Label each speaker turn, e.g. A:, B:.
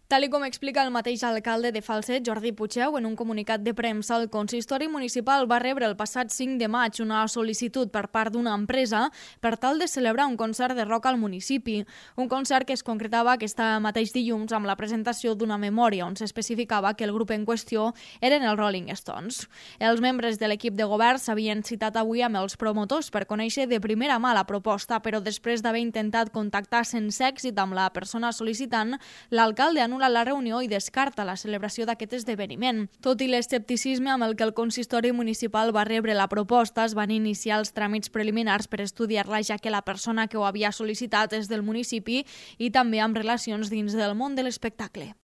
A: Tal com explica el mateix alcalde de Falset, Jordi Puigdeu, en un comunicat de premsa, el consistori municipal va rebre el passat 5 de maig una sol·licitud per part d'una empresa per tal de celebrar un concert de rock al municipi. Un concert que es concretava aquest mateix dilluns amb la presentació d'una memòria on s'especificava que el grup en qüestió eren els Rolling Stones. Els membres de l'equip de govern s'havien citat avui amb els promotors per conèixer de primera mà la proposta, però després d'haver intentat contactar sense èxit amb la persona sol·licitant, l'alcalde anul·la la reunió i descarta la celebració d'aquest esdeveniment. Tot i l'escepticisme amb el que el consistori municipal va rebre la proposta, es van iniciar els tràmits preliminars per estudiar-la, ja que la persona que ho havia sol·licitat és del municipi i també amb relacions dins del món de l'espectacle.